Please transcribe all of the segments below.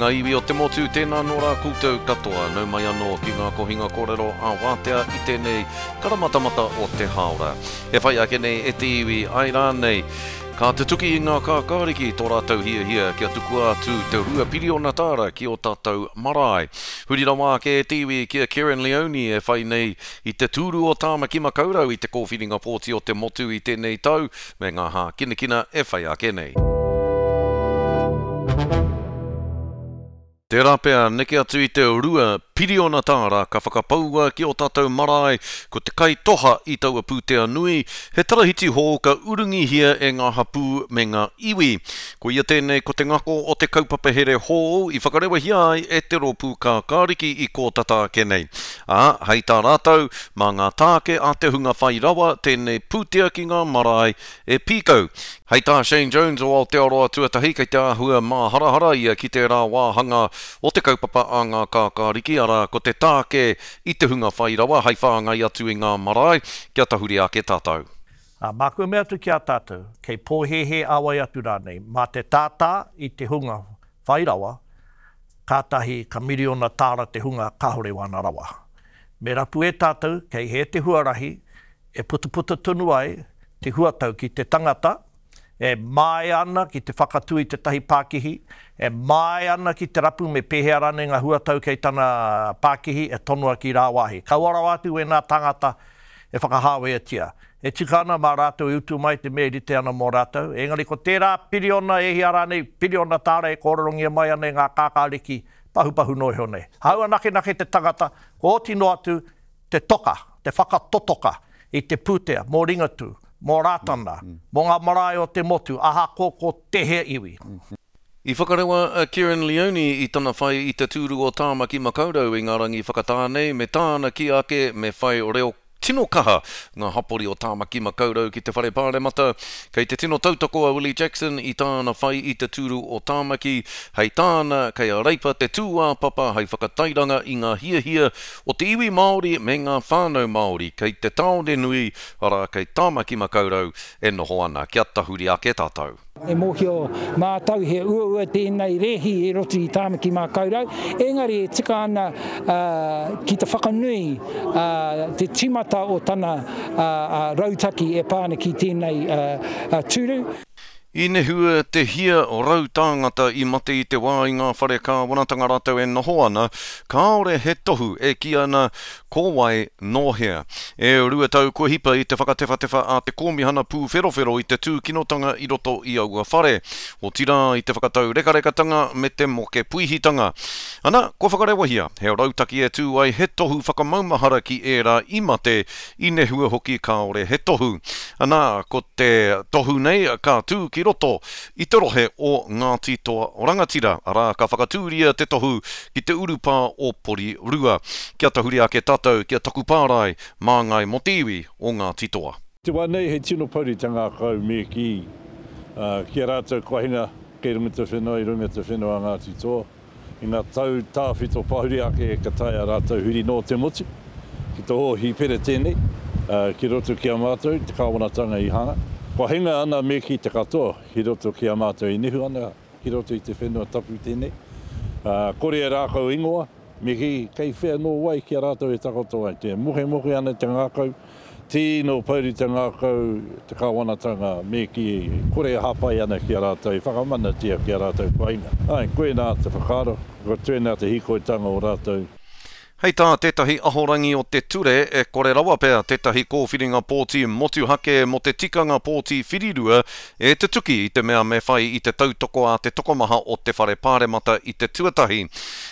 ngā iwi o te motu, tēnā nō rā koutou katoa. Nau mai anō ki ngā kohinga kōrero ā wātea i tēnei karamatamata o te hāora. E whai ake nei e te iwi, āe rānei, ka tutuki i ngā kākāriki tō rātou hiahia kia tukua atu te $2 piriona ki ō tātou marae. Huri rawa ake e te iwi ki a Kerrin Leoni e whai nei i te tūru o Tāmaki Makaurau i te kōwhiringa pōti o te motu i tēnei tau, me ngā hākinakina e whai ake nei. Tērā pea, neke atu i te $2 piriona ka whakapaua ki ō tātou marae, ko te kaitoha i taua pūtea nui, he tarahiti hou ka urungihia e ngā hapū me ngā iwi. Koia tēnei ko te ngako o te kaupapa here hou i whakarewahia ai e te Rōpū Kākāriki i kō tata ake nei. Ā, hei tā rātou, mā ngā tāke a te hunga whai rawa tēnei pūtea ki ngā marae e pīkau. Hei tā Shane Jones o Aotearoa Tuatahi, kei te āhua māharahara ia ki tērā wāhanga o te kaupapa a ngā kākāriki, arā, ko te tāke i te hunga whai rawa hei whāngai atu i ngā marae, kia tahuri ake tātou. Ā, māku e mea atu ki a tātou, kei pōhēhē a wai atu rānei, mā te tātā i te hunga whai rawa, kātahi ka miriona tāra te hunga kāore wāna rawa. Me rapu e tātou kei hē te huarahi e putaputa tonu ai te huatau ki te tangata e māia ana ki te whakatū i tētahi pākihi, e māia ana ki te rapu me pēhea rānei ngā huatau kei tana pākihi e tonoa ki rāwāhi. Kaua rawa atu wēnā tāngata e whakahāweatia. E tika ana mā rātou e utu mai te mea e rite ana mō rātou. Engari ko tērā piriona e hia rānei, piriona tāra e kōrerongia mai ana e ngā kākāriki pahupahu noa iho nei. Hāunga nakenake te tangata, kua oti noa atu te toka, te whakatotoka i te pūtea mō Ringatū, mō Rātana, mō ngā marae o te motu, ahakoa ko tēhea iwi. I whakarewa a Kerrin Leoni i tana whai i te tūru o Tāmaki Makaurau i ngā rangi whakatā nei me tāna kī ake me whai reo tino kaha ngā hapori o Tāmaki Makaurau ki te Whare Pāremata. Kei te tino tautoko a Willie Jackson i tāna whai i te tūru o Tāmaki, hei tāna kei a Reipa te tūāpapa hei whakatairanga i ngā hiahia o te iwi Māori me ngā whānau Māori kei te tāone nui, arā kei Tāmaki Makaurau e noho ana. Kia tahuri ake tātou. E mōhio mātou he uaua tēnei rēhi i roto i Tāmaki Mākaurau, engari e tika ana ki te whakanui te tīmata o tana rautaki e pā ana ki tēnei tūru. I nehua te hia tāngata i mate i te wā i ngā whare kāwanatanga rātou e noho ana, kāore he tohu e kī ana Ko wai, nō hea? E 2 tau kua hipa i te whakatewhatewha a te Kōmihana Pūwherowhero i te tūkinotanga i roto i aua whare, otirā i te whakataurekarekatanga me te moke puihitanga. Ana, kua whakarewahia he rautaki e tū ai he tohu whakamaumahara ki ērā i mate, i nehua hoki kāore he tohu. Ana, ko te tohu nei ka tū ki roto i te rohe o Ngāti Toa Rangatira, arā, ka whakatūria te tohu ki te urupā o Porirua. Kia tahuri ake tātou ki a taku pārae, māngai mō te iwi o Ngāti Toa. Te wā nei he tino pouri te ngākau me kī ki a rātou kua hinga kei runga te whenua i runga te whenua a Ngāti Toa. I ngā tau tāwhito pahuri ake ka taea rātou huri noa te motu ki te hōhipera tēnei ki roto ki a mātou te kāwanatanga i hanga. Kua hinga ana me kī te katoa ki roto ki a mātou i nehu ana ki roto i te whenua tapu tēnei. Kore e rākau ingoa, me kī kei whea nō wai ki a rātou e takoto ai. Te mokemoke ana te ngākau Tino pouri te ngākau te kāwanatanga me kī kore e hāpai ana ki a rātou, e whakamanatia ki a rātou painga. Āe, koinā te whakaaro, ko tēnā te hīkoitanga o rātou. Hei tā tētahi ahorangi o te ture, e kore rawa pea tētahi kōwhiringa pōti motuhake mō te tikanga pōti whirirua e tutuki i te mea me whai i te tautoko a te tokomaha o te Whare Pāremata i te tuatahi.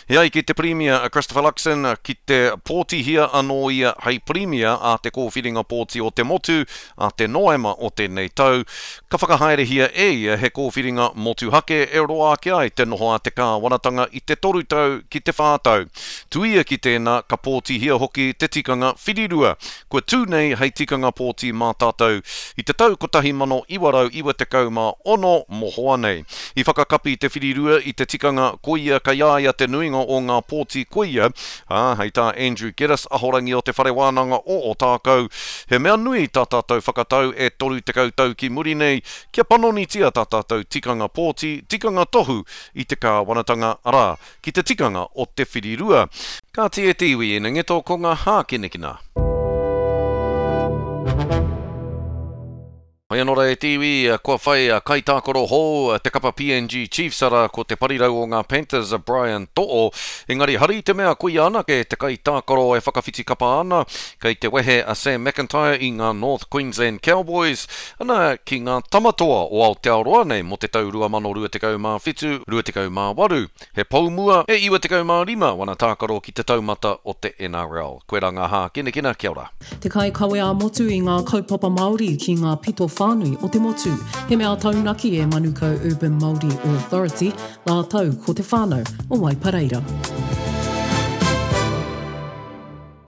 E ai ki te Pirimia a Christopher Luxon, ki te pōtihia anō ia hei Pirimia a te kōwhiringa pōti o te motu a te Noema o tēnei tau, ka whakahaerehia e ia he kōwhiringa motuhake e roa ake ai te noho a te kāwanatanga i te toru tau ki te whā tau. Tuia ki tēnā, tēnā, ka pōtihia hoki te tikanga whirirua, kua tū nei hei tikanga pōti mā tātou i te tau 1996 mohoa nei. I whakakapi te whirirua i te tikanga koia kei a ia te nuinga o ngā pōti koia, ā, hei tā Andrew Geddis, ahorangi o Te Whare Wānanga o Ōtākou, he mea nui tā tātou whakatau e 30 tau ki muri nei kia panonitia tā tātou tikanga pōti, tikanga tohu i te kāwanatanga, arā, ki te tikanga o te whirirua. Kāti e te iwi ina ngeto ko ngā hākinakina. Hoi anō rā e te iwi, kua whai kaitākaro hou te kapa PNG Chiefs arā ko te parirau o ngā Panthers a Brian To'o. Engari hari i te mea koia anake te kaitākaro e whakawhiti kapa ana, kei te wehe a Sam McIntyre i ngā North Queensland Cowboys, ana ki ngā Tamatoa o Aotearoa nei mō te tau 2027, 28. He pou mua e 95 wana tākaro ki te taumata o te NRL. Koirā ngā hākinakina, kia ora. Te kaikawe ā-motu i ngā kaupapa Māori ki ngā pito whānui o te motu. He mea taunaki e Manukau Urban Māori Authority rātou ko te whānau o Waipareira.